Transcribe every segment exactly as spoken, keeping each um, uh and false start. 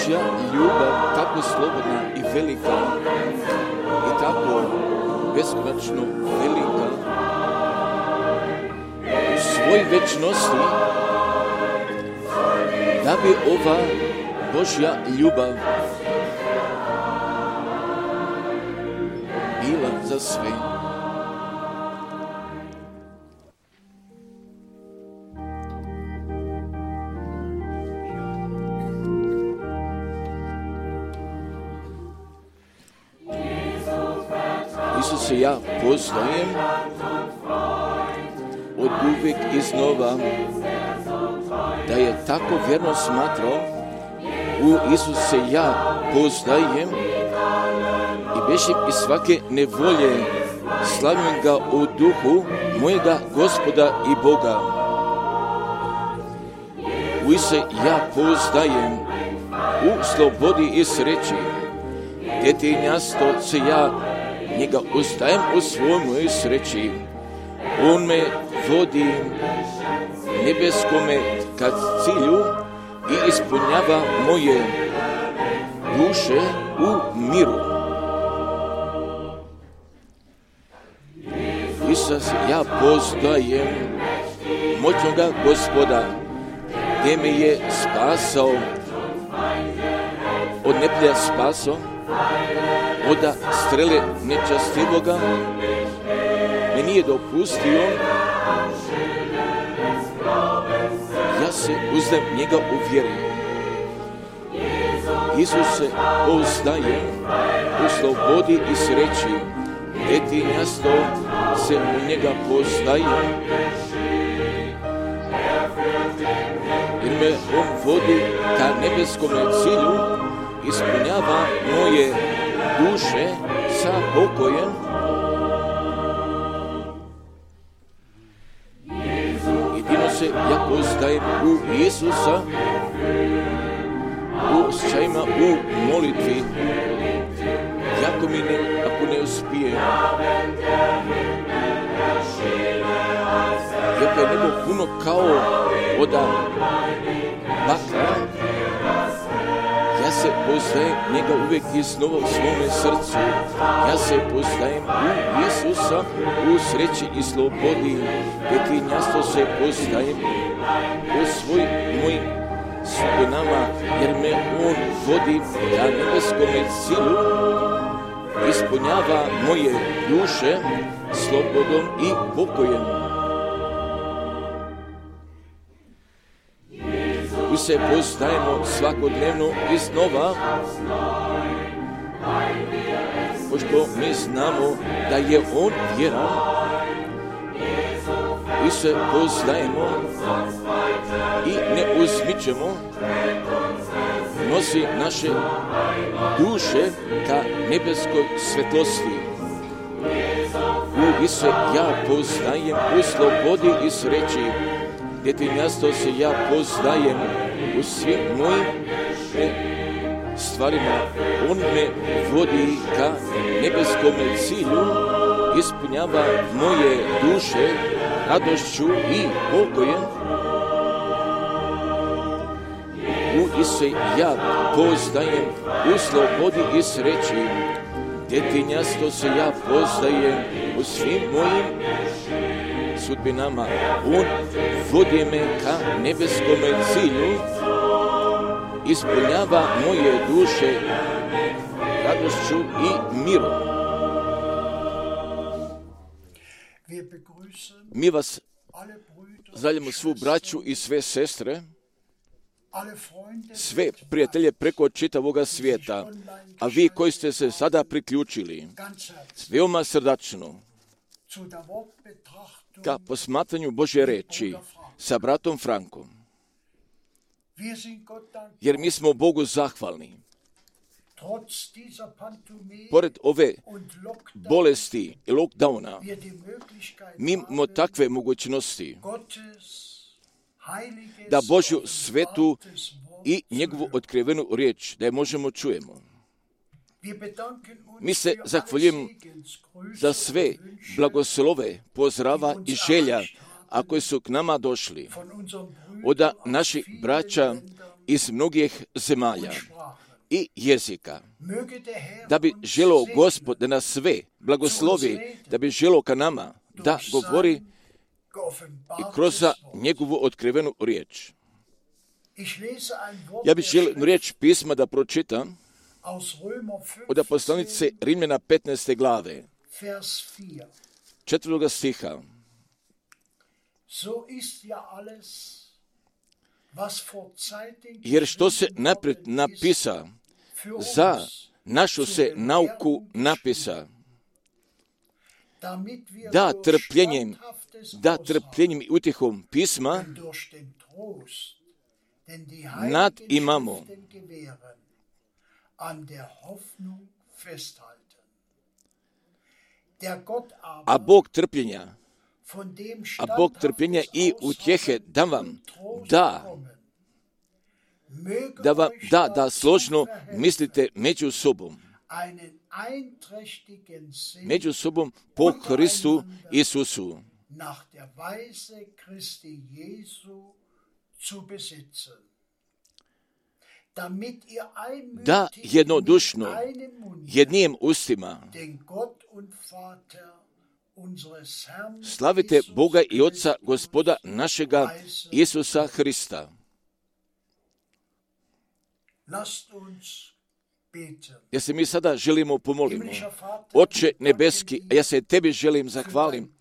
Božja ljubav tako slobodna i velika i tako beskonačno velika u svoj večnosti, da bi ova Božja ljubav bila za sve. Isuse, ja poznajem od uvijek iznova da je tako vjerno smatrao, u Isuse ja poznajem i bežim iz svake nevolje, slavim ga u duhu mojega Gospoda i Boga. U Isuse ja poznajem u slobodi i sreći, djetinjasto se ja njega ostajem u svojoj sreći. On me vodi nebeskome ka cilju i ispunjava moje duše u miru. Isus, ja poznajem moćnoga Gospoda, gdje me je spasao, od neplja spasao, od strele nečastivoga, me nije dopustio. Ja se uzdam njega u vjeri. Isuse, poznajem u slobodi i sreći, djetinjasto se u njega poznaje, jer me on vodi ka nebeskome cilju, ispunjava moje duše sa pokojem. Jedino se ja poznajem u Isusa, u osjećajima, u molitvi. Jako mi ne, ako ne uspije, jako je nebo puno kao voda bakra, ja se poznajem njega uvijek iznova u svome srcu. Ja se poznajem u Isusa, u sreći i slobodi, djetinjastvo se poznajem u svoj moj sudbinama, jer me on vodi ka nebeskome cilju, ispunjava moje duše slobodom i pokojem. Mi se poznajemo svakodnevno iznova, pošto mi znamo da je on vjeran. Mi se poznajemo i ne uzmičemo, nosi naše duše ka nebeskoj svetlosti. U Isuse ja poznajem u slobodi i sreći, djetinjastvo se ja poznajem u svim mojim stvarima. On me vodi ka nebeskome cilju, ispunjava moje duše radošću i pokojem. U Isuse ja poznajem u slobodi i sreći, djetinjastvo se ja poznajem u svim mojim sudbinama. On vodi me ka nebeskome cilju, ispunjava moje duše radošću i mirom. Mi vas zaljemo svu braću i sve sestre, sve prijatelje preko čitavoga svijeta, a vi koji ste se sada priključili, veoma srdačno ka posmatranju Božje reči sa bratom Frankom. Jer mi smo Bogu zahvalni. Pored ove bolesti i lockdowna, mi imamo takve mogućnosti da Božju svetu i njegovu otkrivenu riječ, da je možemo čujemo. Mi se zahvaljujemo za sve blagoslove, pozdrava i želja, a koji su k nama došli od naših braća iz mnogih zemalja i jezika. Da bi želio Gospod da nas sve blagoslovi, da bi želio ka nama da govori i kroz njegovu otkrivenu riječ. Ja bih želio riječ pisma da pročitam od poslanice Rimljana petnaeste glave, četvrtoga stiha. Jer što se naprijed napisa, za našu se nauku napisa, da trpljenjem, da trpljenjem i utjehom pisma nad imamo. A Bog trpljenja, a Bog trpljenja i utjehe da vam da, da vam da, da složno mislite među sobom, među sobom po Hristu Isusu, da jednodušno, jednim ustima slavite Boga i Otca Gospoda našega Isusa Hrista. Ja se mi sada želimo pomolimo. Oče nebeski, ja se tebi želim zahvalim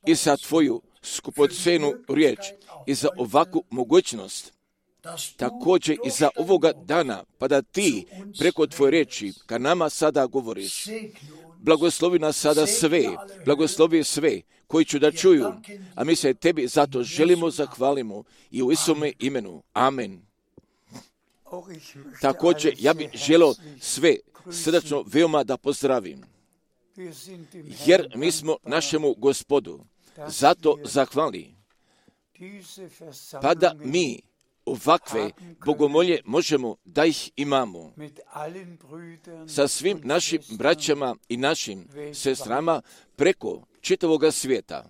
i za tvoju skupocenu riječ i za ovakvu mogućnost, također i za ovoga dana, pa da ti preko tvoje riječi ka nama sada govoriš. Blagoslovi nas sada sve, blagoslovi sve koji ću da čuju, a mi se tebi zato želimo zahvalimo i u Isume imenu. Amen. Također, ja bih želio sve srdačno veoma da pozdravim, jer mi smo našemu Gospodu zato zahvali, pa da mi ovakve bogomolje možemo da ih imamo sa svim našim braćama i našim sestrama preko čitavoga svijeta.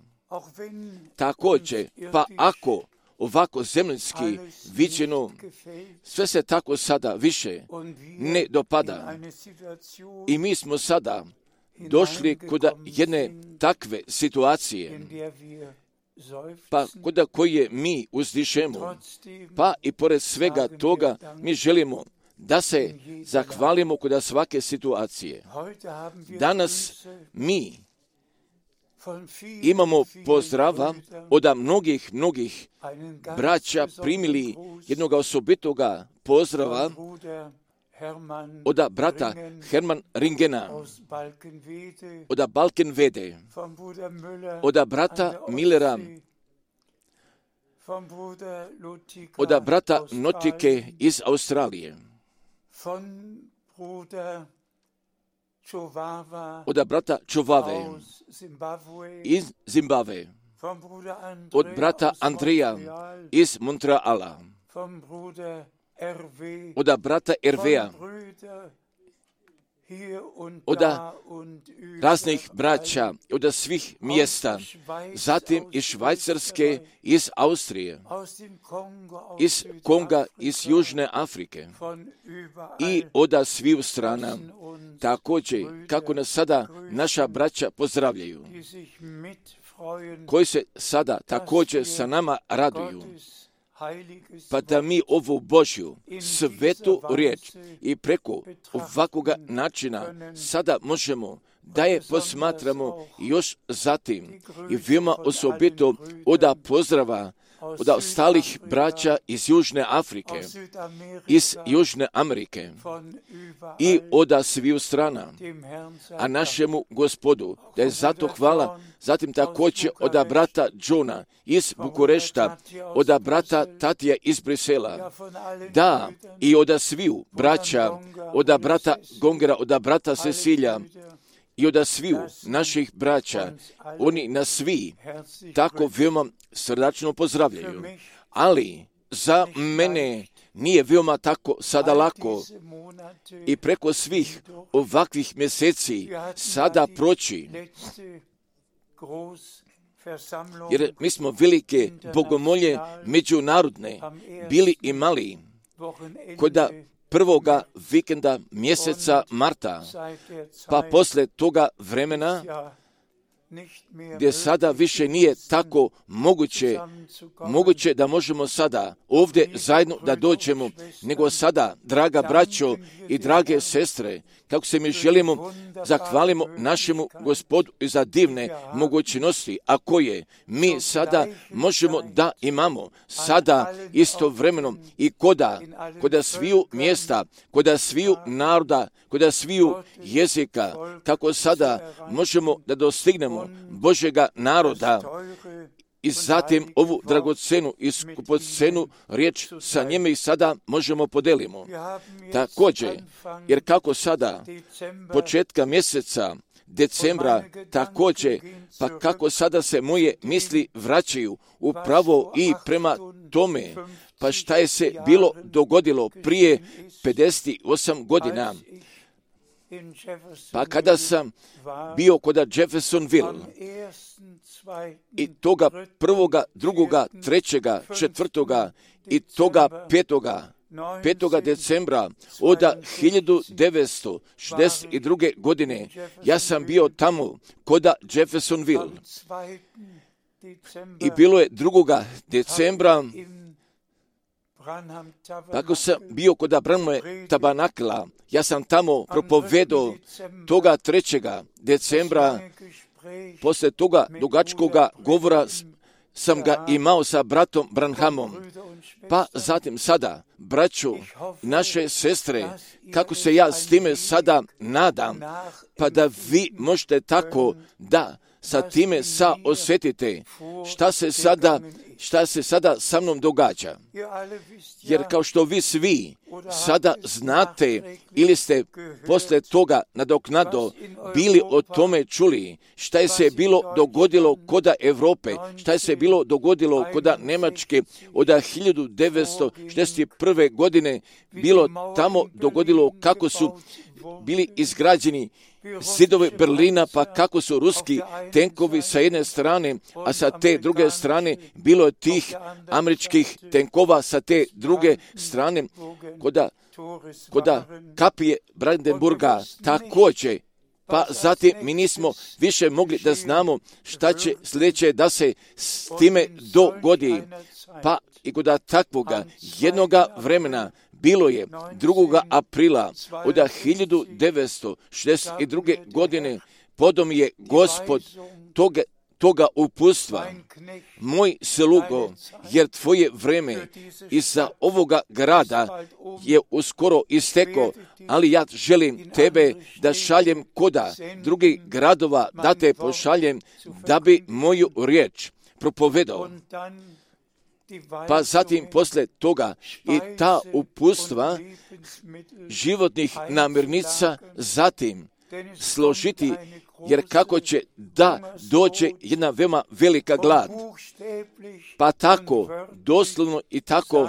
Također, pa ako ovako zemljski viđeno, sve se tako sada više ne dopada. I mi smo sada došli kod jedne takve situacije, pa kod koje mi uzdišemo, pa i pored svega toga mi želimo da se zahvalimo kod svake situacije. Danas mi imamo pozdrava od mnogih, mnogih braća primili jednog osobitoga pozdrava od brata Herman Ringena, od Balkenvede, od brata Millera, od brata Notike iz Australije, od brata Čovave iz Zimbabve, od brata Andreja iz Montreala, od brata Ervea, od raznih braća, od svih mjesta, zatim iz Švajcarske, iz Austrije, iz Konga, iz Južne Afrike i od sviju strana. Također, kako nas sada naša braća pozdravljaju, koji se sada također sa nama raduju, pa da mi ovu Božju svetu riječ i preko ovakvoga načina sada možemo da je posmatramo još zatim i veoma osobito od pozdrava od ostalih braća iz Južne Afrike, iz Južne Amerike i od sviju strana, a našemu Gospodu, da je zato hvala, zatim također od brata Johna iz Bukurešta, od brata Tatija iz Brisela, da i od sviju braća, od brata Gongera, od brata Cecilija, i od sviju naših braća, oni nas svi tako veoma srdačno pozdravljaju. Ali za mene nije veoma tako sada lako i preko svih ovakvih mjeseci sada proći, jer mi smo velike bogomolje međunarodne bili imali kod prvoga vikenda mjeseca marta, pa posle toga vremena, gdje sada više nije tako moguće, moguće da možemo sada ovdje zajedno da dođemo, nego sada, draga braćo i drage sestre, kako se mi želimo, zahvalimo našemu Gospodu za divne mogućnosti, a koje mi sada možemo da imamo, sada istovremeno i koda, koda sviju mjesta, koda sviju naroda, koda sviju jezika, kako sada možemo da dostignemo Božjega naroda i zatim ovu dragocenu i skupocenu riječ sa njime i sada možemo podelimo. Također, jer kako sada, početka mjeseca decembra, također, pa kako sada se moje misli vraćaju upravo i prema tome, pa šta je se bilo dogodilo prije pedeset osam godina, pa kada sam bio kod Jeffersonville i toga prvoga, drugoga, trećega, četvrtoga i toga petoga, petoga decembra od hiljadu devetsto šezdeset druge. godine, ja sam bio tamo kod Jeffersonville i bilo je drugoga decembra, tako sam bio kod Branhamove tabernakla, ja sam tamo propovedao toga trećega decembra, posle toga dugačkoga govora sam ga imao sa bratom Branhamom. Pa zatim sada, braćo, naše sestre, kako se ja s time sada nadam, pa da vi možete tako da sa time sa osjetite šta se sada, šta se sada sa mnom događa. Jer kao što vi svi sada znate ili ste posle toga nadoknado bili o tome čuli, šta je se bilo dogodilo kod Europe, šta je se bilo dogodilo kod Njemačke od hiljadu devetsto šezdeset prve. godine, bilo tamo dogodilo kako su bili izgrađeni zidovi Berlina, pa kako su ruski tenkovi sa jedne strane, a sa te druge strane bilo je tih američkih tenkova sa te druge strane, koda, koda kapije Brandenburga također. Pa zatim mi nismo više mogli da znamo šta će sljedeće da se s time dogodi. Pa i kod takvoga jednoga vremena bilo je drugoga aprila od hiljadu devetsto šezdeset druge. godine podom je Gospod toga, toga uputstva, moj slugo, jer tvoje vreme iza ovoga grada je uskoro isteko, ali ja želim tebe da šaljem koda drugih gradova, da te pošaljem da bi moju riječ propovedao. Pa zatim posle toga i ta uputstva životnih namirnica zatim složiti, jer kako će da dođe jedna veoma velika glad. Pa tako, doslovno i tako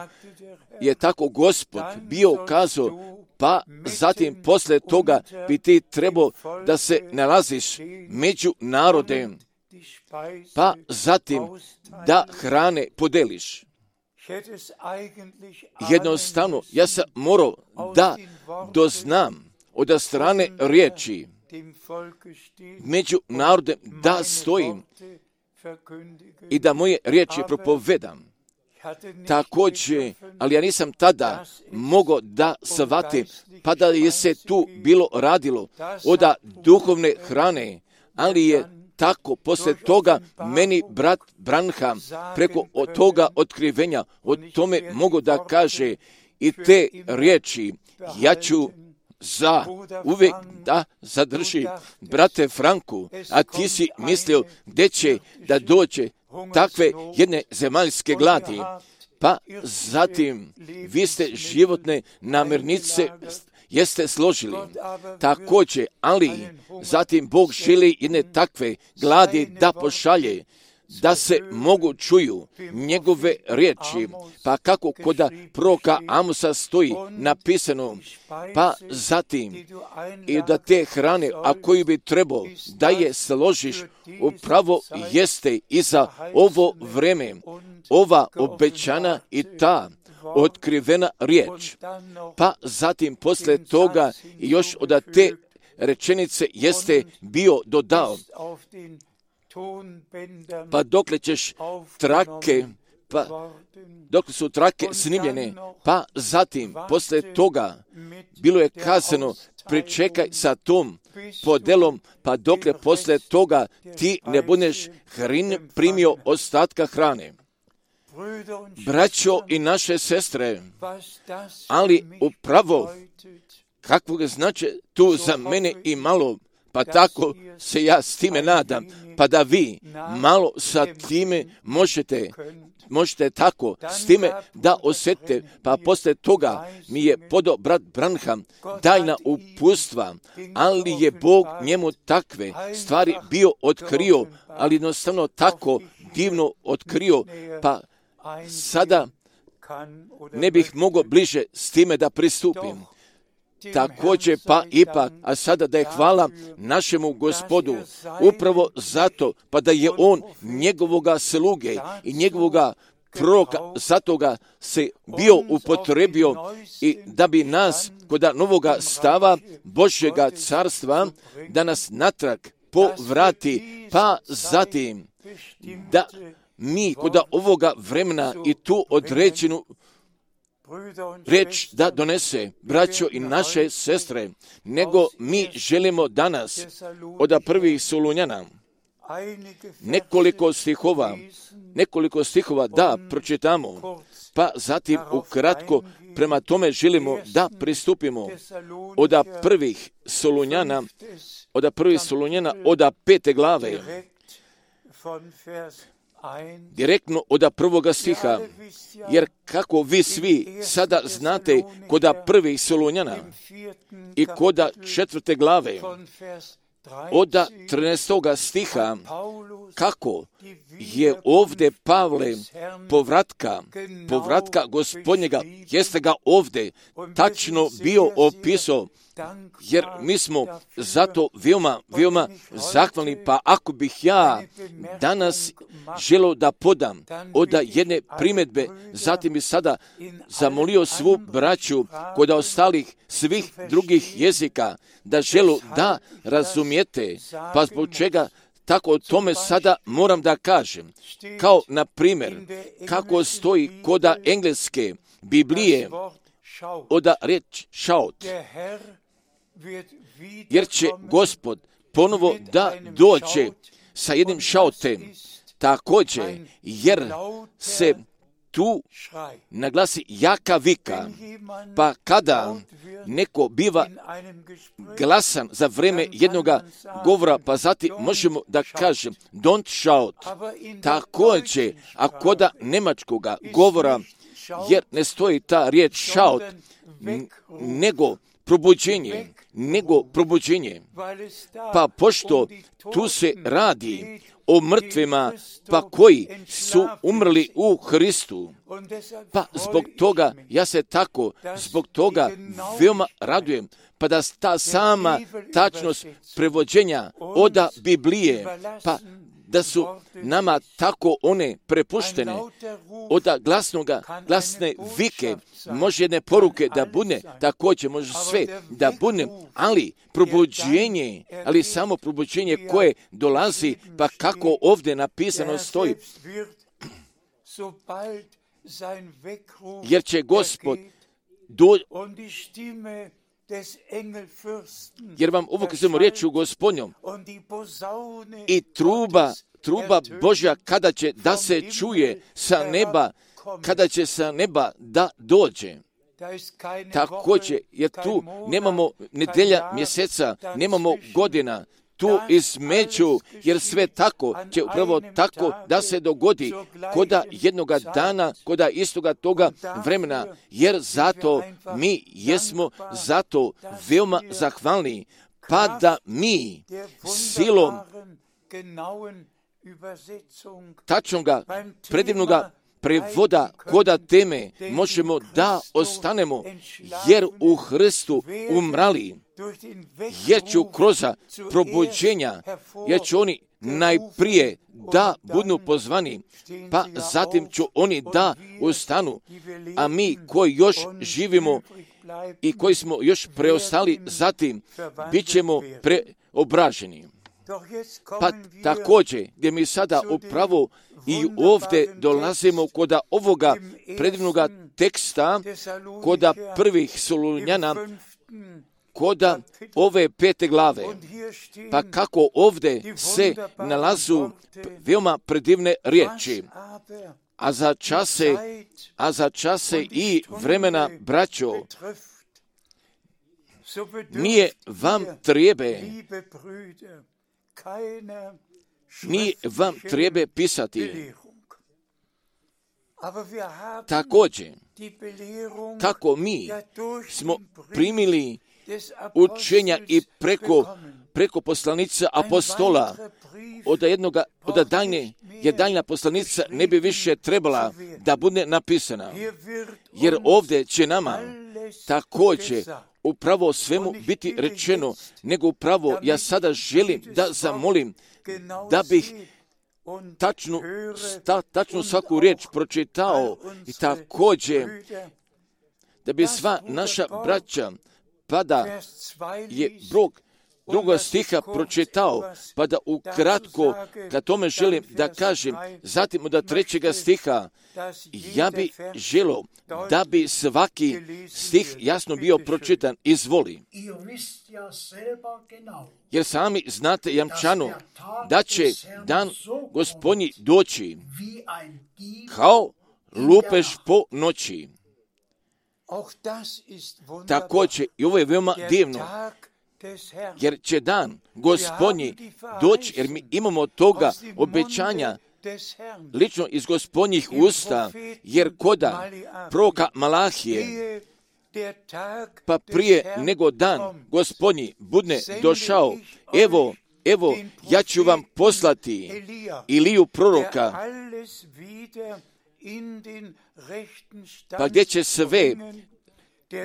je tako Gospod bio kazao, pa zatim posle toga bi ti trebao da se nalaziš među narodem, pa zatim da hrane podeliš. Jednostavno, ja sam morao da doznam od strane riječi među narodem da stojim i da moje riječi propovedam. Također, ali ja nisam tada mogao da shvatim, pa da je se tu bilo radilo od duhovne hrane, ali je tako posle toga meni brat Branham preko od toga otkrivenja o tome mogu da kaže i te riječi ja ću za uvijek da zadrži brate Franku, a ti si mislio gdje će da dođe takve jedne zemaljske gladi, pa zatim vi ste životne namirnice jeste složili. Također, ali zatim Bog želi jedne takve gladi da pošalje, da se mogu čuju njegove riječi, pa kako kod proroka Amosa stoji napisano, pa zatim i da te hrane, a koju bi trebao da je složiš, upravo jeste i za ovo vreme, ova obećana i ta otkrivena riječ. Pa zatim posle toga još od te rečenice jeste bio dodao, pa dokle ćeš trake, pa dok su trake snimljene, pa zatim posle toga bilo je kazano, pričekaj sa tom podelom, pa dokle posle toga ti ne budeš hrin primio ostatka hrane. Braćo i naše sestre, ali upravo kakvog znači tu za mene i malo, pa tako se ja s time nadam, pa da vi malo sa time možete, možete tako s time da osjetite, pa posle toga mi je podao brat Branham tajna upustva, ali je Bog njemu takve stvari bio otkrio, ali jednostavno tako divno otkrio, pa sada ne bih mogao bliže s time da pristupim. Također pa ipak, a sada da je hvala našemu Gospodu, upravo zato, pa da je on njegovoga sluge i njegovoga proroka, zato ga se bio upotrebio i da bi nas kod novoga stava Božjega carstva, da nas natrag povrati, pa zatim da mi kod ovoga vremena i tu određenu reč da donese, braćo i naše sestre, nego mi želimo danas od prvih Solunjana nekoliko stihova, nekoliko stihova da pročitamo, pa zatim ukratko prema tome želimo da pristupimo od prvih Solunjana, od prvih Solunjana, od pete glave, direktno od prvoga stiha, jer kako vi svi sada znate kod prvih Solunjana i kod četvrte glave, od trinaestoga stiha, kako je ovdje Pavle povratka, povratka Gospodnjega, jeste ga ovdje tačno bio opisao, jer mi smo zato veoma, veoma zahvalni, pa ako bih ja danas želio da podam od jedne primjedbe, zatim bi sada zamolio svu braću kod ostalih svih drugih jezika, da želu da razumijete, pa zbog čega tako o tome sada moram da kažem. Kao, na primjer, kako stoji kod engleske Biblije od riječ shout, jer će Gospod ponovo da dođe sa jednim šautem, također, jer se tu naglasi jaka vika, pa kada neko biva glasan za vreme jednoga govora, pa zatim možemo da kažem don't shout, također, a koda nemačkoga govora, jer ne stoji ta riječ shout, nego probuđenje, nego probuđenje. Pa pošto tu se radi o mrtvima, pa koji su umrli u Hristu, pa zbog toga, ja se tako, zbog toga veoma radujem, pa da ta sama tačnost prevođenja od Biblije, pa da su nama tako one prepuštene od glasnoga, glasne vike, može jedne poruke da bude, također može sve da bude, ali probuđenje, ali samo probuđenje koje dolazi, pa kako ovdje napisano stoji, jer će Gospod do... jer vam ovo kazujemo riječu Gospodnjom i truba, truba Božja kada će da se čuje sa neba, kada će sa neba da dođe. Također, jer tu nemamo nedelja, mjeseca, nemamo godina, tu između, jer sve tako će upravo tako da se dogodi koda jednoga dana, koda istoga toga vremena, jer zato mi jesmo zato veoma zahvalni, pa da mi silom tačnoga, predivnoga prevoda koda teme možemo da ostanemo, jer u Hristu umrali, jer ću kroz probuđenja, jer će oni najprije da budu pozvani, pa zatim ću oni da ustanu, a mi koji još živimo i koji smo još preostali, zatim bit ćemo preobraženi. Pa također, gdje mi sada upravo i ovdje dolazimo kod ovoga predivnoga teksta, kod prvih Solunjana, kod ove pete glave, pa kako ovdje se nalazu veoma predivne riječi. A za čase, a za čase i vremena, braćo, nije vam trebe, nije vam trebe pisati. Također, kako mi smo primili učenja i preko, preko poslanica apostola, od jednoga, od daljne, jer daljna poslanica ne bi više trebala da bude napisana. Jer ovdje će nama također upravo svemu biti rečeno, nego upravo ja sada želim da zamolim da bih tačnu, sta, tačnu svaku riječ pročitao i također da bi sva naša braća, pa da je Bog druga stiha pročitao, pa da ukratko ka tome želim da kažem, zatim od trećega stiha, ja bi želio da bi svaki stih jasno bio pročitan. Izvoli. Jer sami znate jamčano da će dan Gospodnji doći kao lupež po noći. Također, i ovo je veoma divno, jer će dan Gospodnji doći, jer mi imamo toga obećanja lično iz Gospodnjih usta, jer koda proroka Malahije, pa prije nego dan Gospodnji budne došao, evo, evo, ja ću vam poslati Iliju proroka, pa gdje će sve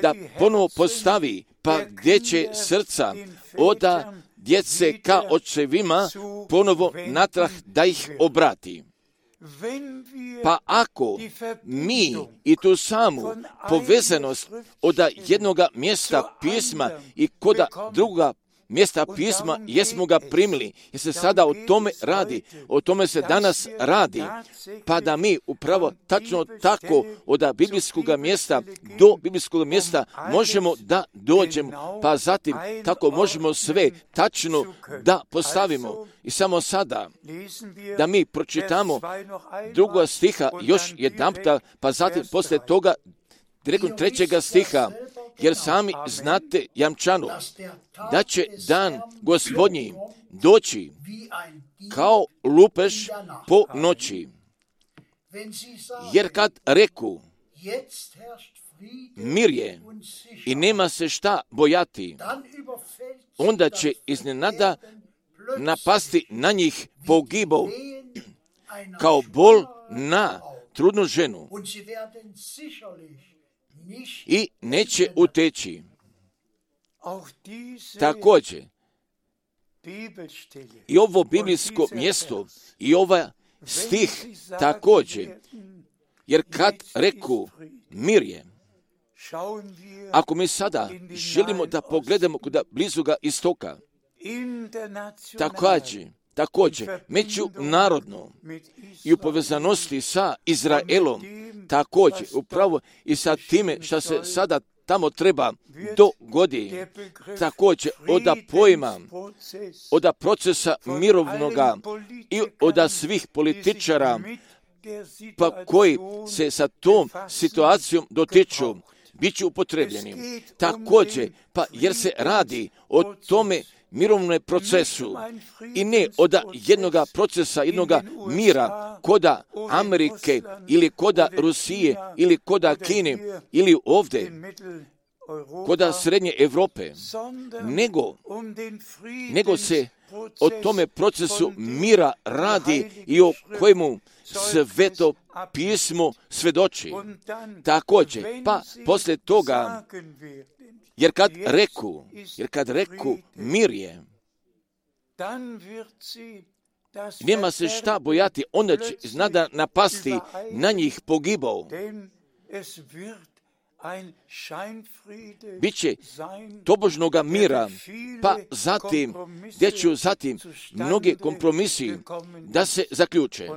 da ponovo postavi, pa gdje će srca oda djece ka očevima ponovo natrag da ih obrati. Pa ako mi i tu samu povezanost od jednoga mjesta pisma i koda druga mjesta pisma jesmo ga primili, jer se sada o tome radi, o tome se danas radi, pa da mi upravo tačno tako od biblijskog mjesta do biblijskog mjesta možemo da dođemo, pa zatim tako možemo sve tačno da postavimo. I samo sada da mi pročitamo drugo stiha još jedanputa, pa zatim poslije toga direktno trećega stiha, jer sami znate jamčano da će dan Gospodnji doći kao lupež po noći. Jer kad reku mir je i nema se šta bojati, onda će iznenada napasti na njih pogibov kao bol na trudnu ženu i neće uteći. Također, i ovo biblijsko mjesto i ovaj stih također, jer kad reku mir je, ako mi sada želimo da pogledamo kod blizuga istoka, također, također, međunarodno i u povezanosti sa Izraelom, također, upravo i sa time što se sada tamo treba dogodi, također od pojma, od procesa mirovnoga i od svih političara, pa koji se sa tom situacijom dotiču, bit će upotrebljeni. Također, pa jer se radi o tome mirovnom procesu i ne od jednog procesa, jednog mira koda Amerike ili koda Rusije ili koda Kine ili ovdje koda Srednje Europe, nego, nego se o tome procesu mira radi i o kojemu Sveto pismo svedoči. Također, pa poslije toga, jer kad reku, jer kad reku mir je, nema se šta bojati, onda će iznada napasti na njih pogibao. Biće tobožnoga mira, pa zatim, gdje ću zatim mnoge kompromisi da se zaključe.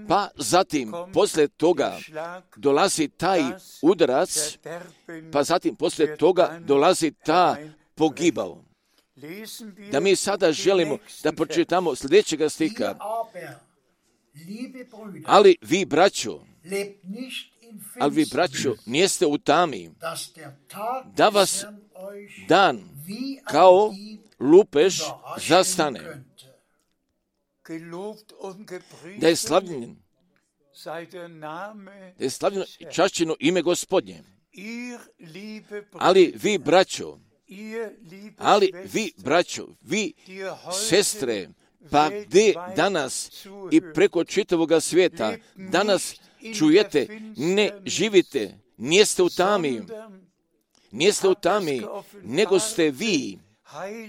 Pa zatim, posle toga dolazi taj udarac, pa zatim posle toga dolazi ta pogibao. Da mi sada želimo da pročitamo sljedećega stiha. Ali vi, braćo, ali vi, braćo, nijeste u tami, da vas dan kao lupež zastane. Da je slavljen, da je slavljeno i čašćeno ime Gospodnje. Ali vi, braćo, ali vi, braćo, vi, sestre, pa gdje danas i preko čitavoga svijeta danas čujete, ne živite, nijeste u tami, nijeste u tami, nego ste vi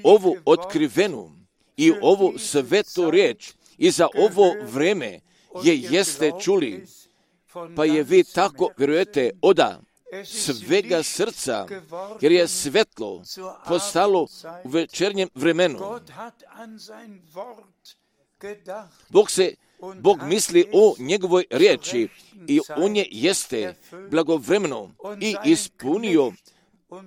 ovu otkrivenu i ovu svetu riječ i za ovo vreme je jeste čuli, pa je vi tako vjerujete oda svega srca, jer je svetlo postalo u večernjem vremenu. Bog se, Bog misli o njegovoj riječi i on je jeste blagovremeno i ispunio,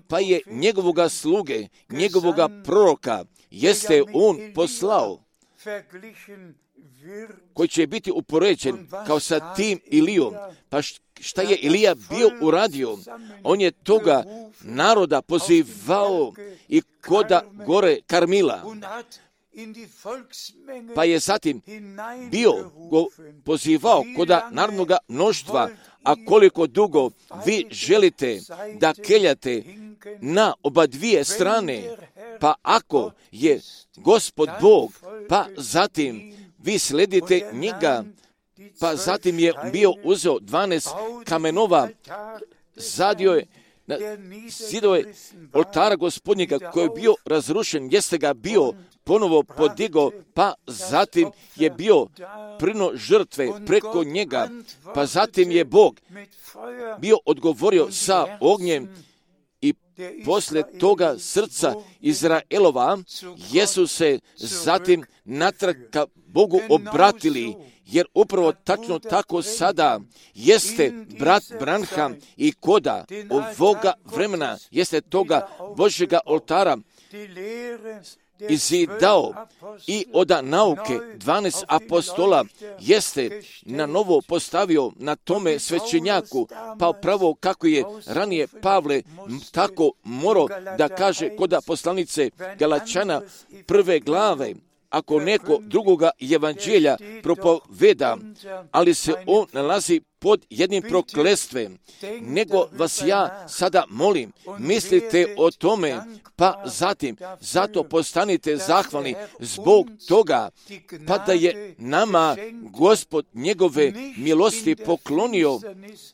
pa je njegovoga sluge, njegovoga proroka, jeste on poslao, koji će biti upoređen kao sa tim Ilijom. Pa šta je Ilija bio uradio? On je toga naroda pozivao i koda gore Karmila. Pa je zatim bio go pozivao koda narodnoga mnoštva, a koliko dugo vi želite da keljate na oba dvije strane, pa ako je Gospod Bog, pa zatim vi sledite njega, pa zatim je bio uzeo dvanaest kamenova, zadio je na zidove oltara Gospodnjega koji je bio razrušen, jeste ga bio ponovo podigao, pa zatim je bio prino žrtve preko njega, pa zatim je Bog bio odgovorio sa ognjem i poslije toga srca Izraelova jesu se zatim natrag ka Bogu obratili, jer upravo tačno tako sada jeste brat Branham i koda ovoga vremena jeste toga Božjega oltara izidao i oda nauke dvanaest apostola jeste na novo postavio na tome svećenjaku, pa upravo kako je ranije Pavle tako morao da kaže koda poslanice Galačana prve glave, ako neko drugoga evanđelja propoveda, ali se on nalazi pod jednim proklestvem, nego vas ja sada molim, mislite o tome, pa zatim, zato postanite zahvalni zbog toga, pa da je nama Gospod njegove milosti poklonio,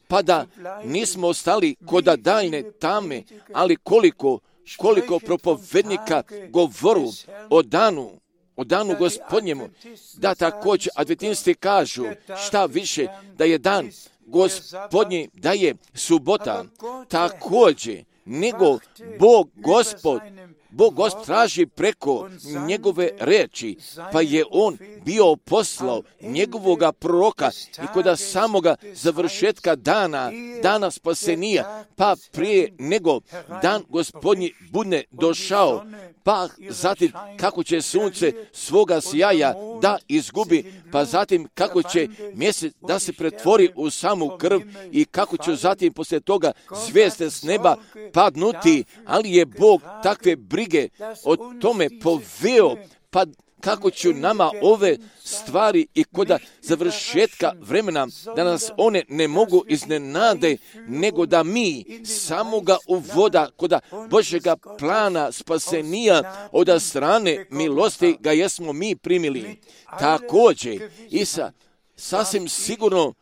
pa da nismo ostali koda daljne tame, ali koliko, koliko propovednika govoru o danu, o danu Gospodnjemu, da također adventisti kažu šta više, da je dan Gospodnji, da je subota, također, nego Bog Gospod, Bog Gospod traži preko njegove reči, pa je on bio poslao njegovoga proroka i kod samoga završetka dana, dana spasenija, pa prije nego dan Gospodnji bude došao, pa zatim kako će sunce svoga sjaja da izgubi, pa zatim kako će mjesec da se pretvori u samu krv i kako će zatim poslije toga zvijezde s neba padnuti, ali je Bog takve brige o tome poveo, pa kako će nama ove stvari i koda završetka vremena, da nas one ne mogu iznenade, nego da mi samoga uvoda koda Božjega plana spasenija od strane milosti ga jesmo mi primili. Također i sa sasvim sigurno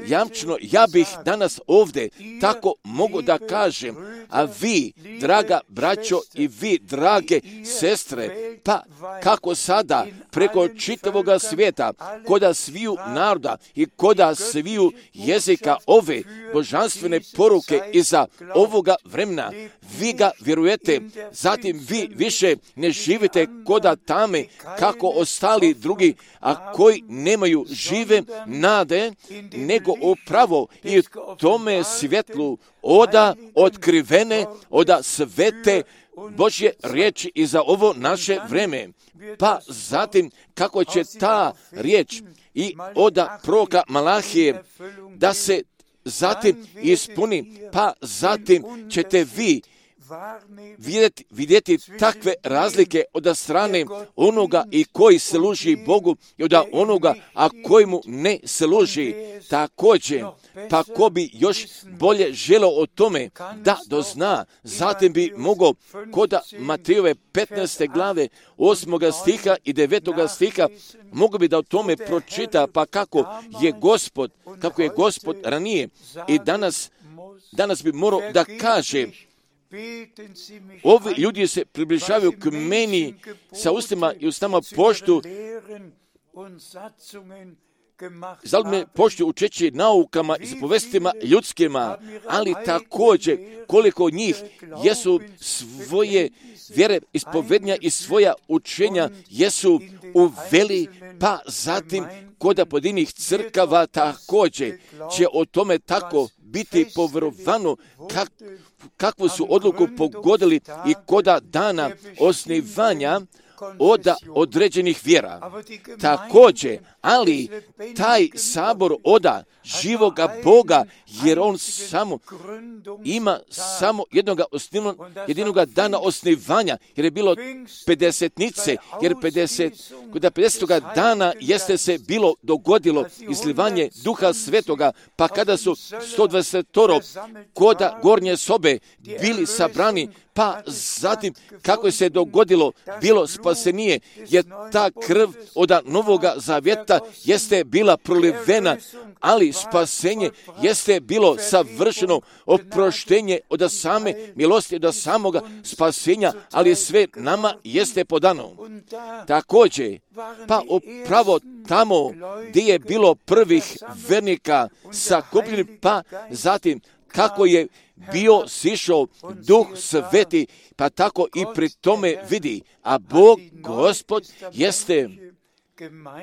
jamčeno, ja bih danas ovdje tako mogu da kažem, a vi, draga braćo i vi, drage sestre, pa kako sada preko čitavoga svijeta, koda sviju naroda i koda sviju jezika ove božanstvene poruke iza ovoga vremena, vi ga vjerujete, zatim vi više ne živite koda tame kako ostali drugi, a koji nemaju žive nade, nego upravo i tome svjetlu oda otkrivene, oda svete Božje riječi i za ovo naše vreme. Pa zatim kako će ta riječ i oda proroka Malahije da se zatim ispuni, pa zatim ćete vi vidjeti, vidjeti takve razlike od strane onoga i koji služi Bogu i od onoga, a koji mu ne služi. Također, pa ko bi još bolje želeo o tome da dozna, zatim bi mogao kod Matejove petnaeste glave osmoga stiha i devetoga stiha mogu bi da o tome pročita, pa kako je Gospod, kako je Gospod ranije i danas, danas bi morao da kaže: ovi ljudi se približavaju k meni sa ustima i ustama poštu, zali me poštu učeći naukama i zapovestima ljudskima, ali također koliko njih jesu svoje vjere, ispovednja i svoja učenja jesu uveli, pa zatim kod pojedinih crkava također će o tome tako biti povjerovano kak, kakvu su odluku pogodili i koda dana osnivanja od određenih vjera. Također, ali taj sabor oda živoga Boga, jer on samo ima samo jednoga osnivnog, jedinoga dana osnivanja, jer je bilo pedesetnice, jer pedeset, kod pedesetoga dana jeste se bilo dogodilo izlivanje Duha Svetoga, pa kada su sto dvadeset kod gornje sobe bili sabrani, pa zatim kako se dogodilo bilo spasenije, jer ta krv od Novoga Zavjeta jeste bila prolivena, ali spasenje jeste bilo savršeno oproštenje od same milosti, od samoga spasenja, ali sve nama jeste podano. Također, pa upravo tamo gdje je bilo prvih vernika sakupljeni, pa zatim kako je bio sišao Duh Sveti, pa tako i pri tome vidi, a Bog, Gospod, jeste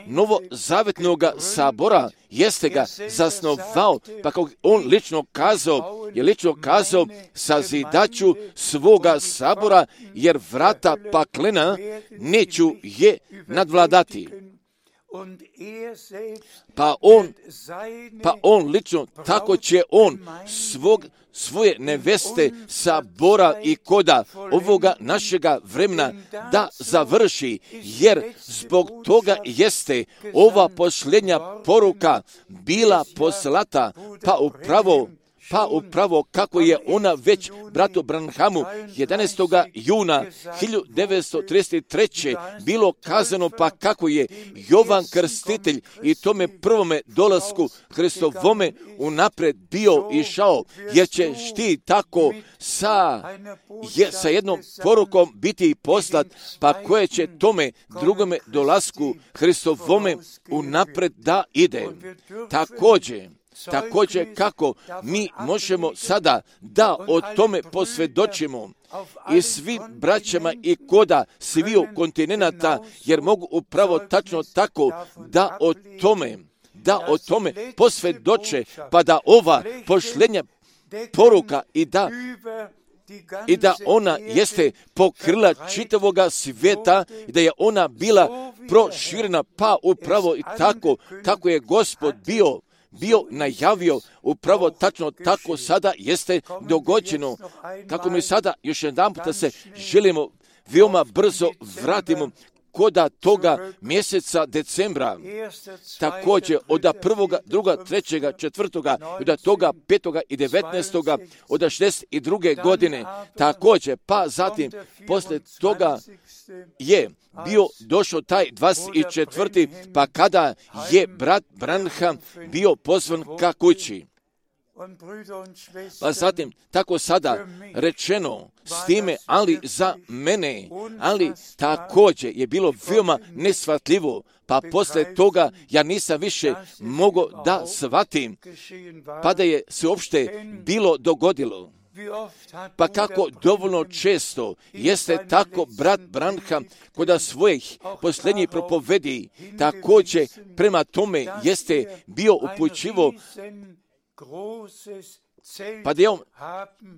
novozavetnog sabora, jeste ga zasnovao, pa kako on lično kazao, je lično kazao sazidaću svoga sabora, jer vrata paklena neću je nadvladati. Pa on, pa on lično, tako će on svog, svoje neveste sabora i koda ovoga našega vremena da završi, jer zbog toga jeste ova posljednja poruka bila poslata, pa upravo Pa upravo kako je ona već bratu Branhamu jedanaestog juna hiljadu devetsto trideset treće bilo kazano, pa kako je Jovan Krstitelj i tome prvome dolasku Hristovome unapred bio išao, jer ćeš ti tako sa, je, sa jednom porukom biti poslat, pa koje će tome drugome dolasku Hristovome unapred da ide. Također, Također kako mi možemo sada da o tome posvjedočimo i svim braćama i koda sviju kontinenta, jer mogu upravo tačno tako da o tome, da o tome posvjedoče, pa da ova posljednja poruka i da i da ona jeste pokrila čitavoga svijeta i da je ona bila proširena, pa upravo i tako kako je Gospod bio bio najavio, upravo tačno tako sada jeste dogođeno. Kako mi sada još jedan puta se želimo veoma brzo vratimo koda toga mjeseca decembra, također od prvoga, druga, trećega, četvrtoga, od toga petoga i devetnaestoga, od šezdeset druge godine, također, pa zatim, poslije toga je bio došao taj dvadeset četvrti pa kada je brat Branham bio pozvan ka kući. Pa zatim, tako sada rečeno s time, ali za mene, ali također je bilo veoma nesvatljivo, pa poslije toga ja nisam više mogao da shvatim, pa da je se uopšte bilo dogodilo. Pa kako dovoljno često jeste tako brat Branham kod svojih posljednjih propovedi, također prema tome jeste bio upućivo, pa da, on,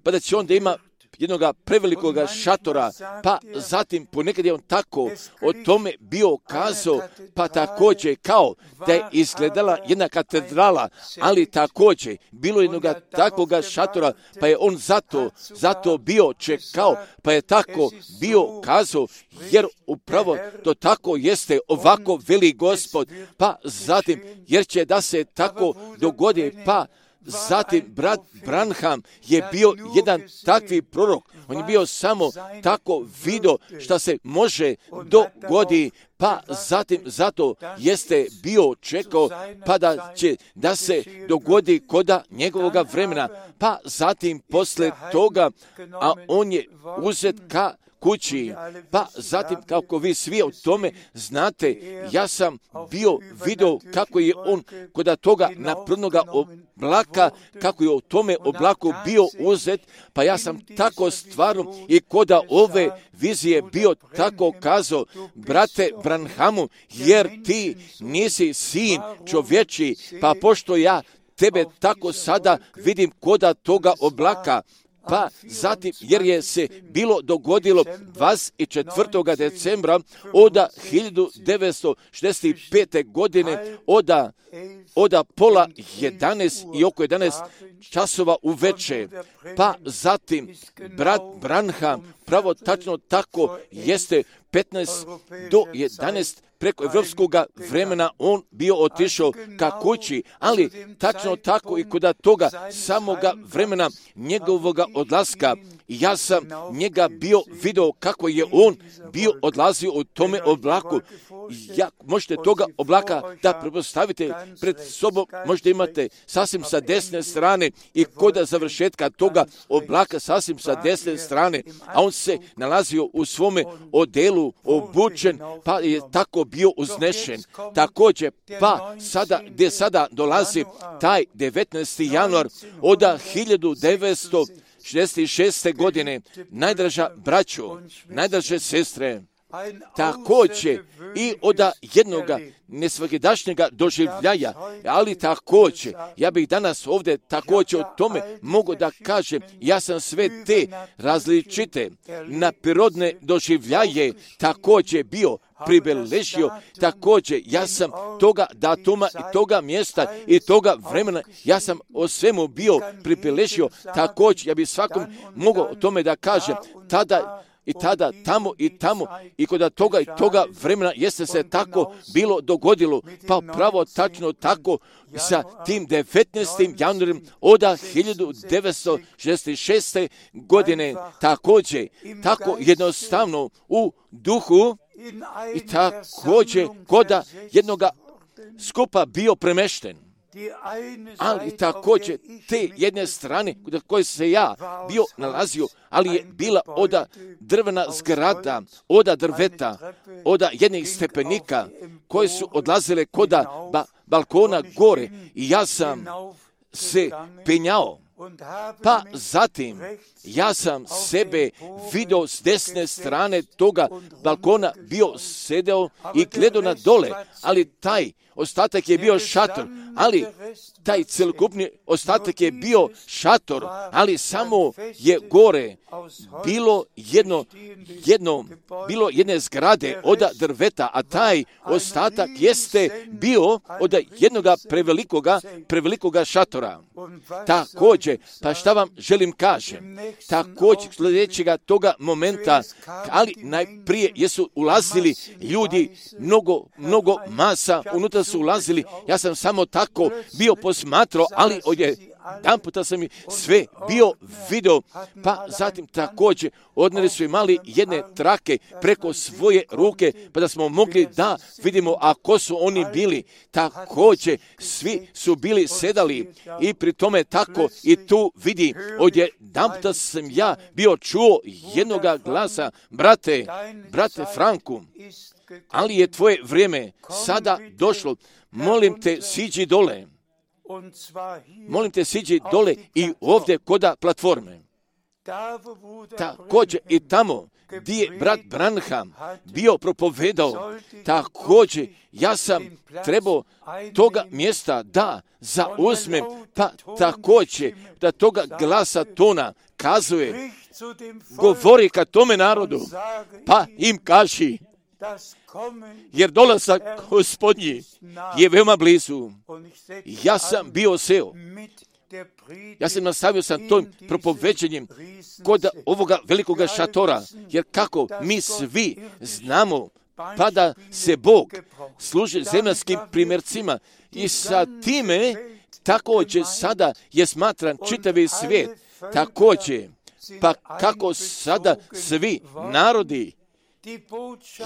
pa da će on da ima jednoga prevelikoga šatora, pa zatim ponekad je on tako o tome bio kazao, pa također kao da je izgledala jedna katedrala, ali također bilo jednoga takvoga šatora, pa je on zato, zato bio čekao, pa je tako bio kazao, jer upravo to tako jeste, ovako veli Gospod, pa zatim, jer će da se tako dogodi, pa zatim, brat Branham je bio jedan takvi prorok. On je bio samo tako vidio što se može dogodi, pa zatim zato jeste bio čekao, pa da će da se dogodi koda njegovoga vremena. Pa zatim, posle toga, a on je uzet ka kući, pa zatim, kako vi svi o tome znate, ja sam bio vidio kako je on kod toga naprednoga oblaka, kako je o tome oblaku bio uzet, pa ja sam tako stvarno i kod ove vizije bio tako kazao, brate Branhamu, jer ti nisi sin čovječi, pa pošto ja tebe tako sada vidim koda toga oblaka, pa zatim, jer je se bilo dogodilo dvadeset četvrtog decembra od hiljadu devetsto šezdeset pete. godine, od, od pola jedanaest i oko jedanaest časova uveče. Pa zatim, brat Branham, pravo tačno tako jeste petnaest do jedanaest preko evropskog vremena on bio otišao ka kući, ali tačno tako i kod toga samoga vremena njegovoga odlaska, ja sam njega bio vidio kako je on bio odlazio u tome oblaku. Ja, možete toga oblaka da prepostavite pred sobom, možete imate sasvim sa desne strane i kod završetka toga oblaka sasvim sa desne strane, a on se nalazio u svome odelu obučen, pa je tako bio uznešen. Također, pa sada, gdje sada dolazi taj devetnaesti januar od hiljadu devetsto šezdeset šeste. godine, najdraža braćo, najdraže sestre, također i od jednoga nesvakidašnjega doživljaja, ali također, ja bih danas ovdje također o tome mogu da kažem, ja sam sve te različite naprirodne doživljaje također bio pribeležio, također ja sam toga datuma i toga mjesta i toga vremena, ja sam o svemu bio pribeležio, također ja bih svakom mogao o tome da kažem, tada i tada, tamo i tamo, i kod toga i toga vremena jeste se tako bilo dogodilo, pa pravo tačno tako sa tim devetnaestim januarom od hiljadu devetsto šezdeset šeste. godine, također, tako jednostavno u duhu i također kod jednoga skupa bio premešten. Ali također te jedne strane kod koje se ja bio nalazio, ali je bila od drvena zgrada, od drveta, od jednih stepenika koje su odlazile kod ba, balkona gore i ja sam se penjao. Pa zatim ja sam sebe vidio s desne strane toga balkona, bio sedeo i gledao na dole, ali taj ostatak je bio šator, ali taj celokupni ostatak je bio šator, ali samo je gore bilo jedno, jedno, bilo jedne zgrade od drveta, a taj ostatak jeste bio od jednoga prevelikoga, prevelikoga šatora. Također, također, pa šta vam želim kažem, također sljedećega toga momenta, ali najprije jesu ulazili ljudi, mnogo, mnogo masa, unutra su ulazili, ja sam samo tako bio posmatrao, ali ovdje jedan puta sam i sve bio video, pa zatim također odneli su imali jedne trake preko svoje ruke, pa da smo mogli da vidimo, a ko su oni bili. Također svi su bili sedali i pri tome tako i tu vidi, ovdje jedan puta sam ja bio čuo jednoga glasa, brate, brate Franku, ali je tvoje vrijeme sada došlo, molim te siđi dole. Molim te, siđi dole i ovdje koda platforme. Također i tamo gdje je brat Branham bio propovedao, također ja sam trebao toga mjesta da zauzmem, pa također da toga glasa tona kazuje, govori ka tome narodu, pa im kaži, jer dolazak Gospodnji je veoma blizu. Ja sam bio seo. Ja sam nastavio sam tom propoveđenjem kod ovoga velikoga šatora, jer kako mi svi znamo, pa da se Bog služi zemaljskim primjercima i sa time također sada je smatran čitavi svijet, također, pa kako sada svi narodi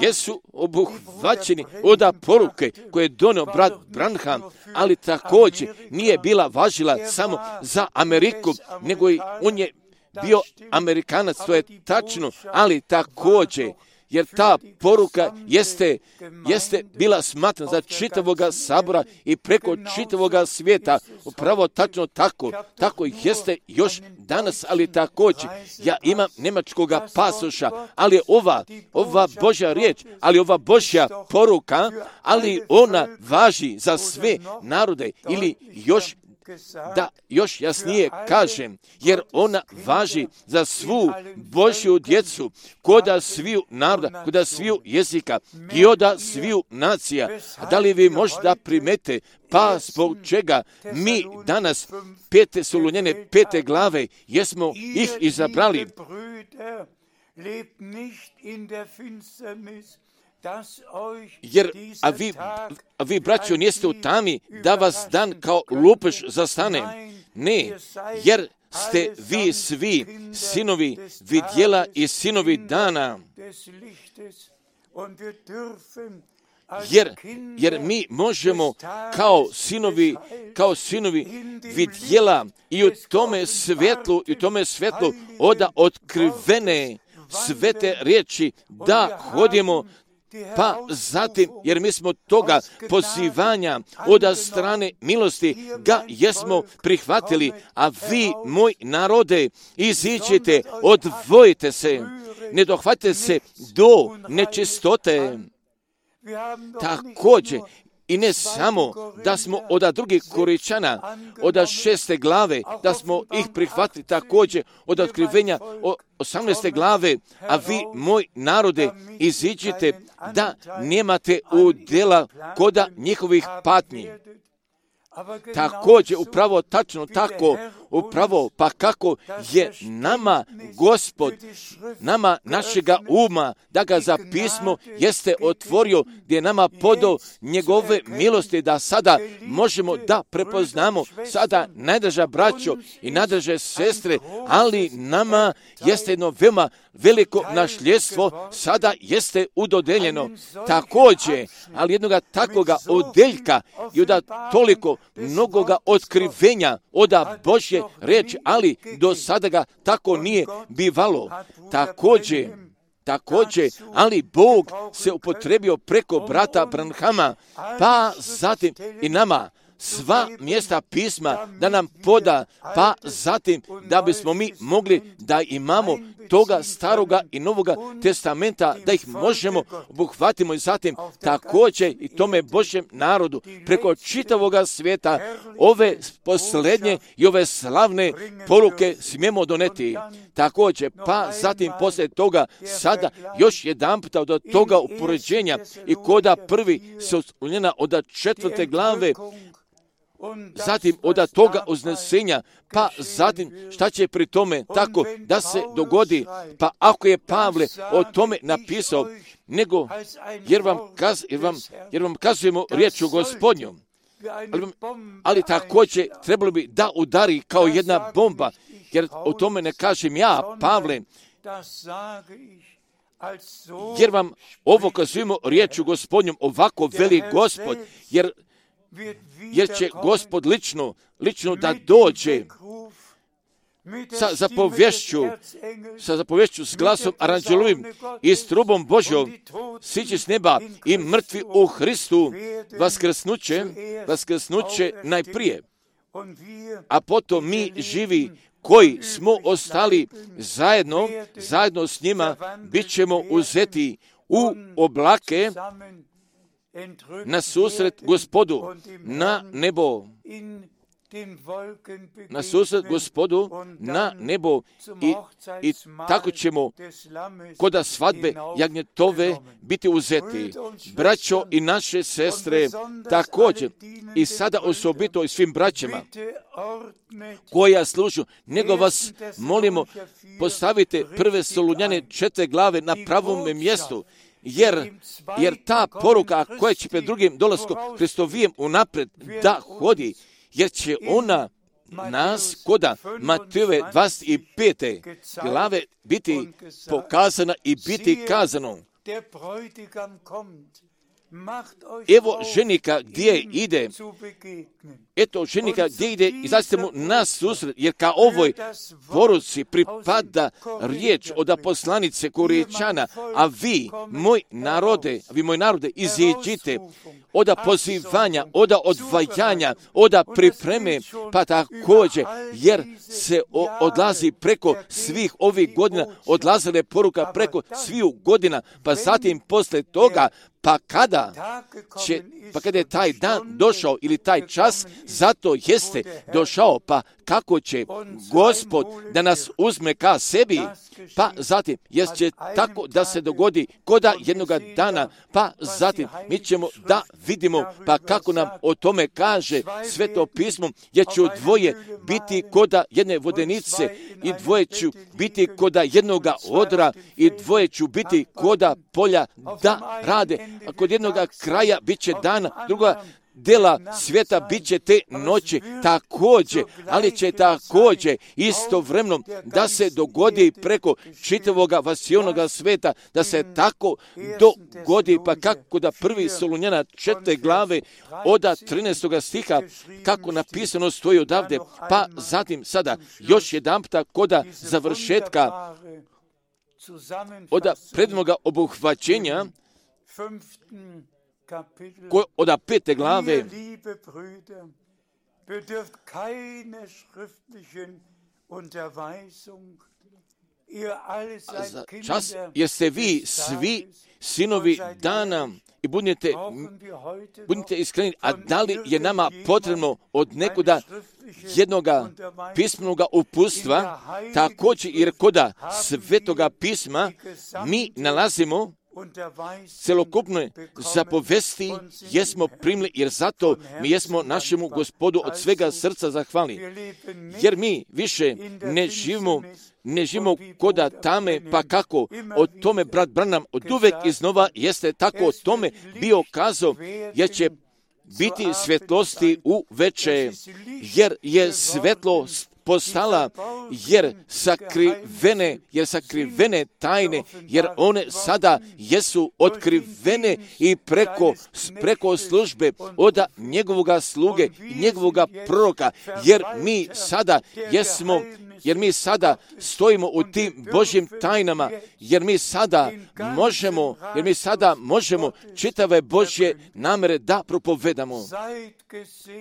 jesu obuhvaćeni od poruke koje je donio brat Branham, ali također nije bila važila samo za Ameriku, nego i on je bio Amerikanac, to je tačno, ali također, jer ta poruka jeste, jeste bila smatrana za čitavoga sabora i preko čitavoga svijeta. Upravo tačno tako, tako jeste još danas, ali također. Ja imam njemačkoga pasoša, ali ova, ova Božja riječ, ali ova Božja poruka, ali ona važi za sve narode ili još da još jasnije kažem, jer ona važi za svu Božju djecu, koda sviju naroda, koda sviju jezika i oda sviju nacija. A da li vi možda primete, pa zbog čega mi danas pete Solunjene, pete glave, jesmo ih izabrali? Jer, a vi, a vi braćo, niste u tami da vas dan kao lupež zastane. Ne, jer ste vi svi sinovi vidjela i sinovi dana. Jer, jer mi možemo kao sinovi, kao sinovi vidjela i u tome svjetlu, i u tome svjetlu oda otkrivene svete riječi da hodimo. Pa zatim, jer mi smo toga pozivanja od strane milosti ga jesmo prihvatili, a vi, moj narode, iziđite, odvojite se, ne dohvatite se do nečistote. Također, i ne samo da smo od drugih Koričana, od šeste glave, da smo ih prihvatili također od otkrivenja osamnaeste glave, a vi, moj narode, iziđite da nemate udjela koda njihovih patnji. Također, upravo tačno tako, upravo pa kako je nama Gospod, nama našega uma, da ga za pismo jeste otvorio, gdje je nama podao njegove milosti, da sada možemo da prepoznamo sada najdraža braćo i najdraže sestre, ali nama jeste jedno veoma veliko nasljedstvo, sada jeste udodeljeno. Također, ali jednoga takoga odeljka i od toliko mnogoga otkrivenja od Božje reči, ali do sada ga tako nije bivalo. Također, također, ali Bog se upotrebio preko brata Branhama, pa zatim i nama sva mjesta pisma da nam poda, pa zatim da bismo mi mogli da imamo toga staroga i novoga testamenta, da ih možemo obuhvatimo i zatim također i tome Božjem narodu preko čitavoga svijeta ove posljednje i ove slavne poruke smijemo doneti. Također, pa zatim poslije toga sada još jedan puta od toga upoređenja i koda prvi se uspunjena od četvrte glave zatim od toga uznesenja, pa zatim šta će pri tome tako da se dogodi, pa ako je Pavle o tome napisao, nego jer vam, kaz, jer vam, jer vam kazujemo riječu Gospodnjom, ali, ali također trebalo bi da udari kao jedna bomba, jer o tome ne kažem ja, Pavle, jer vam ovo kazujemo riječu Gospodnjom, ovako veli Gospod, jer jer će Gospod lično, lično da dođe sa zapovješću, sa zapovješću s glasom aranđelovim i s trubom Božjom, siđe s neba i mrtvi u Hristu vaskrsnuće, vaskrsnuće najprije, a potom mi živi koji smo ostali zajedno, zajedno s njima, bit ćemo uzeti u oblake na susret Gospodu, na nebo, na susret Gospodu, na nebo i, i tako ćemo koda svadbe jagnjetove biti uzeti. Braćo i naše sestre, također i sada osobito i svim braćama koja služu, nego vas molimo, postavite prve Solunjane četiri glave na pravom mjestu, Jer, jer ta poruka koja će pred drugim dolaskom Hristovijem unapred da hodi, jer će ona nas koda Matejove dvadeset pete glave biti pokazana i biti kazano. Evo ženika gdje ide, eto ženika gdje ide, izađite mu na susret, jer ka ovoj poruci pripada riječ od poslanice Korinčana, a vi, moj narode, vi moj narode, iziđite od pozivanja, od odvajanja, od pripreme, pa također, jer se odlazi preko svih ovih godina, odlazile poruka preko svih godina, pa zatim posle toga, pa kada će, pa kada je taj dan došao ili taj čas, zato jeste došao, pa kako će Gospod da nas uzme ka sebi, pa zatim, jer će tako da se dogodi koda jednoga dana, pa zatim mi ćemo da vidimo, pa kako nam o tome kaže Sveto pismo, jer će dvoje biti koda jedne vodenice i dvoje će biti koda jednoga odra i dvoje će biti koda polja da rade, a kod jednoga kraja bit će dana, druga dela svijeta bit će te noći također, ali će također istovremeno da se dogodi preko čitavoga vasionoga sveta, da se tako dogodi, pa kako da prvi Solunjana četiri glave od trinaestog stiha, kako napisano stoji odavde, pa zatim sada još jedan puta koda završetka od prednoga obuhvaćenja od pete glave, čas, jer ste vi svi sinovi dana i budite, budite iskreni, a da li je nama potrebno od nekoga jednoga pismenoga uputstva, također jer koda Svetoga pisma mi nalazimo celokupne zapovesti jesmo primili, jer zato mi jesmo našemu Gospodu od svega srca zahvalni. Jer mi više ne živimo, ne živimo koda tame, pa kako o tome brat Branham od uvek iznova jeste tako o tome bio kazao, jer će biti svjetlosti u veče, jer je svetlost postala, jer sakrivene, jer sakrivene tajne, jer one sada jesu otkrivene i preko, preko službe od njegovoga sluge i njegovoga proroka, jer mi sada jesmo, jer mi sada stojimo u tim Božjim tajnama, jer mi sada možemo, jer mi sada možemo čitave Božje namere da propovedamo.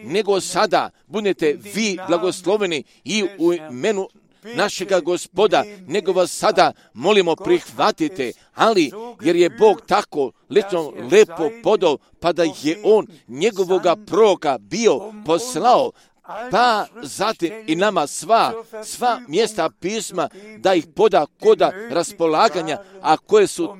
Nego sada budete vi blagosloveni i u imenu našega Gospoda, nego vas sada molimo prihvatite, ali jer je Bog tako lično lepo podao, pa da je On njegovoga proroka bio poslao, pa zatim i nama sva, sva mjesta pisma da ih poda koda raspolaganja, a koje su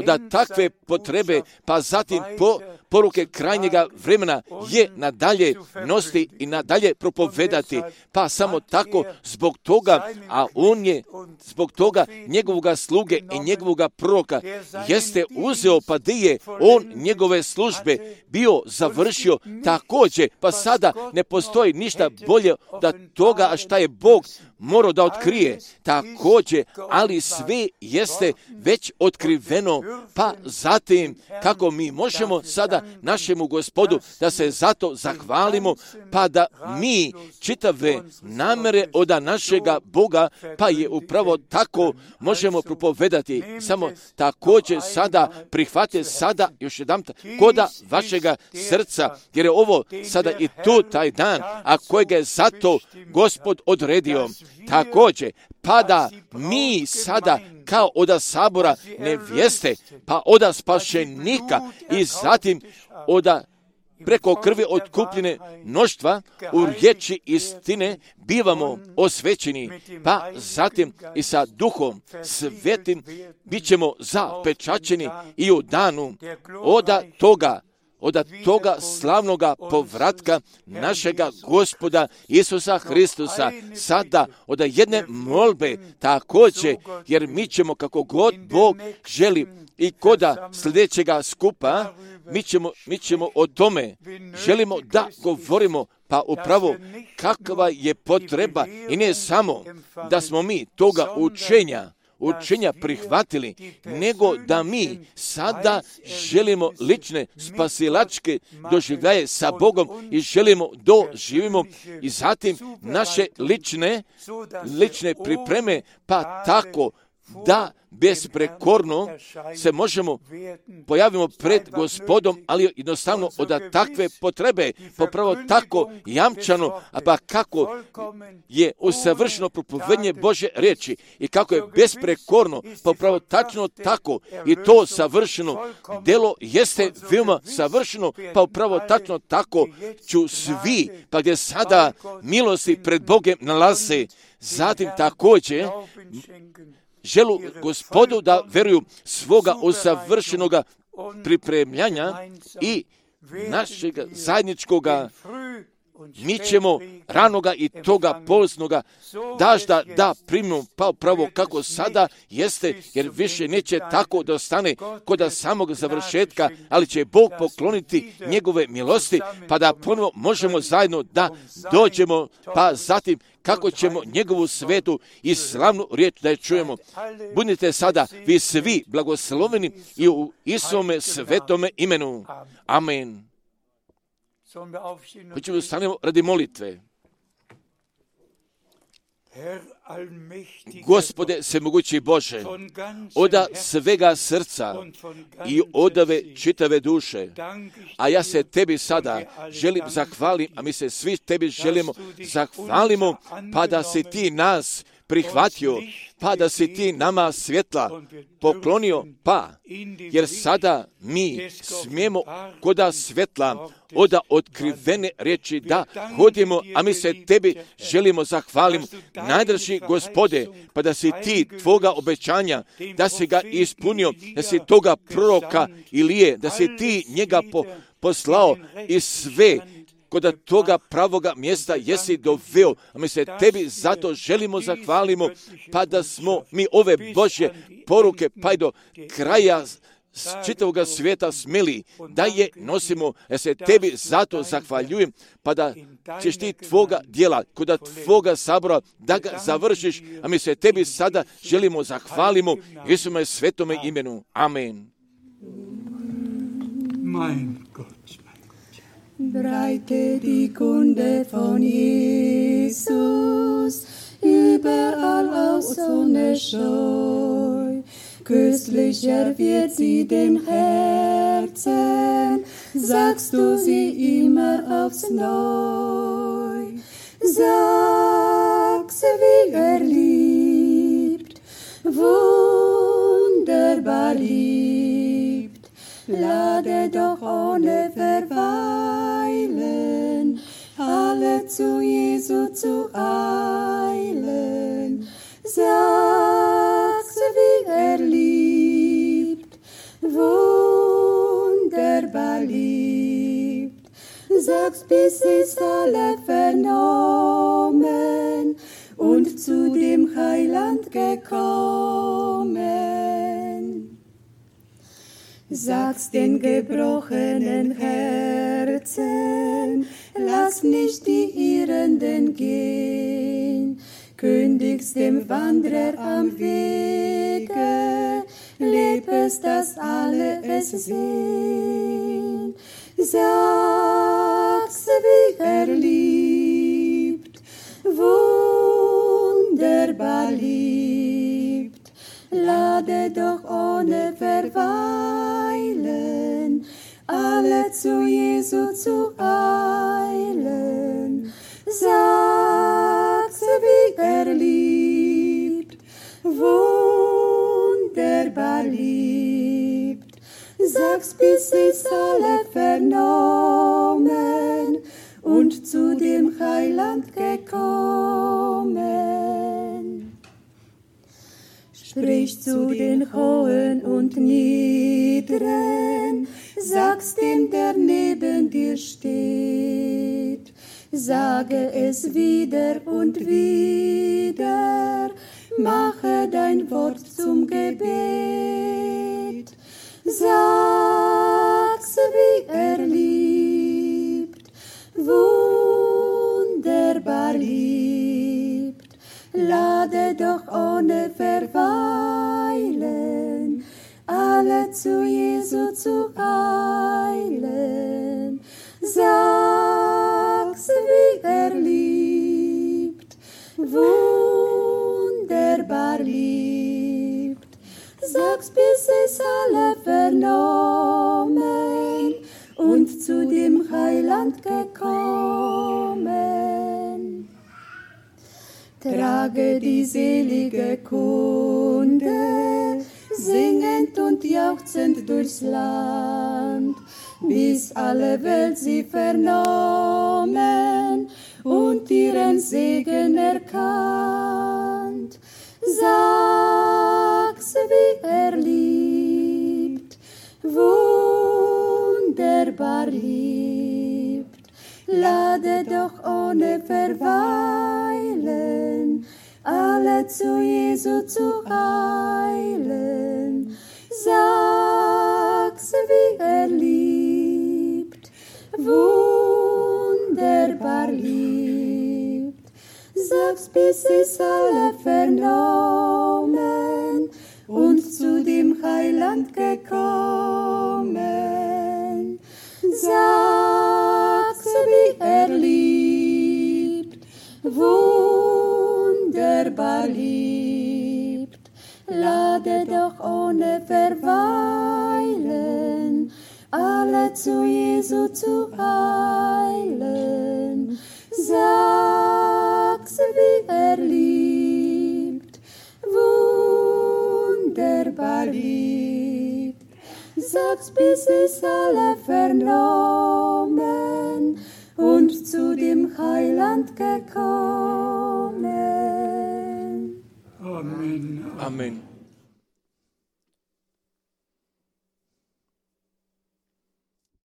da takve potrebe, pa zatim po poruke krajnjega vremena je nadalje nositi i nadalje propovedati. Pa samo tako zbog toga, a on je zbog toga njegovoga sluge i njegovoga proroka jeste uzeo, pa di je on njegove službe bio završio također, pa sada ne postoji ništa bolje da toga, a šta je Bog morao da otkrije također, ali sve jeste već otkriveno, pa zatim kako mi možemo sada našemu Gospodu da se zato zahvalimo, pa da mi čitave namere od našega Boga, pa je upravo tako možemo propovedati. Samo također sada prihvate sada još jedan koda vašega srca, jer je ovo sada i tu taj dan, a kojega je zato Gospod odredio. Također, pa da mi sada kao oda sabora nevjeste, pa oda spašenika i zatim oda preko krvi otkupljene mnoštva u riječi istine bivamo osvećeni, pa zatim i sa Duhom Svetim bit ćemo zapečaćeni i u danu oda toga od toga slavnoga povratka našega Gospoda Isusa Hristusa, sada od jedne molbe također, jer mi ćemo kako god Bog želi i koda sljedećega skupa, mi ćemo, mi ćemo o tome, želimo da govorimo, pa upravo kakva je potreba i ne samo da smo mi toga učenja, učenja prihvatili, nego da mi sada želimo lične spasilačke doživljaje sa Bogom i želimo doživimo i zatim naše lične, lične pripreme, pa tako da besprekorno se možemo pojavimo pred Gospodom, ali jednostavno od takve potrebe, popravo tako jamčano, a pa kako je usavršeno propovednje Božje riječi i kako je besprekorno, popravo tačno tako i to savršeno delo jeste veoma savršeno, pa upravo tačno tako ću svi, pa gdje sada milosti pred Bogem nalaze, zatim također želu Gospodu da veruju svoga usavršenoga pripremljanja i našeg zajedničkoga, mi ćemo ranoga i toga polsnoga dažda da primimo, pa upravo kako sada jeste, jer više neće tako da ostane kod samog završetka, ali će Bog pokloniti njegove milosti, pa da ponovo možemo zajedno da dođemo, pa zatim kako ćemo njegovu svetu i slavnu riječ da je čujemo. Budite sada vi svi blagosloveni i u Isome svetome imenu. Amen. Hoćemo da stanemo radi molitve. Gospode svemogući Bože, oda svega srca i odave čitave duše, a ja se tebi sada želim zahvalim, a mi se svi tebi želimo zahvalimo, pa da si ti nas prihvatio, pa da si ti nama svjetla poklonio, pa, jer sada mi smijemo koda svjetla, oda otkrivene riječi da hodimo, a mi se tebi želimo zahvalimo. Najdraži Gospode, pa da si ti tvoga obećanja, da si ga ispunio, da si toga proroka Ilije, da si ti njega po, poslao i sve kod toga pravoga mjesta jesi doveo, a mi se tebi zato želimo zahvalimo, pa da smo mi ove Božje poruke pa i do kraja čitavog svijeta smeli da je nosimo, ja se tebi zato zahvaljujem, pa da ćeš ti tvoga djela, kod tvoga sabora da ga završiš, a mi se tebi sada želimo zahvalimo Isume svetome imenu. Amen. Mein Gott. Breite die Kunde von Jesus überall aus ohne Scheu. Köstlicher wird sie dem Herzen, sagst du sie immer aufs Neu. Sag sie, wie er liebt, wunderbar liebt. Lade doch ohne Verweilen alle zu Jesu zu eilen. Sag sie, wie er liebt, wunderbar liebt. sagst, bis es alle vernommen und zu dem Heiland gekommen. Sagst den gebrochenen Herzen, lass nicht die Irrenden gehen, kündigst dem Wanderer am Wege, leb es, dass alle es sehen. Sag's, wie er liebt, wunderbar liebt, lade doch ohne Verweilen, alle zu Jesu zu eilen. Sag's, wie er liebt, wunderbar liebt, sag's, bis es alle vernommen und zu dem Heiland gekommen. Sprich zu den Hohen und Niederen, sag's dem, der neben dir steht. Sage es wieder und wieder, mache dein Wort zum Gebet. Sag's, wie er liebt, wunderbar liebt, lade doch ohne Verweilen, alle zu Jesu zu eilen. Sag's, wie er liebt, wunderbar liebt, sag's, bis es alle vernommen und zu dem Heiland gekommen. Trage die selige Kunde, singend und jauchzend durchs Land, bis alle Welt sie vernommen und ihren Segen erkannt. Sag's, wie er liebt, wunderbar liebt, lade doch ohne Verweilen, alle zu Jesu zu eilen. Sag's, wie er liebt, wunderbar liebt, sag's, bis es alle vernommen und zu dem Heiland gekommen. Sag's, wie er liebt, wunderbar liebt, lade doch ohne Verweilen, alle zu Jesu zu eilen. Sag's, wie er liebt, wunderbar liebt, sag's, bis es alle vernommen und zu dem Heiland gekommen. Amen. Amen.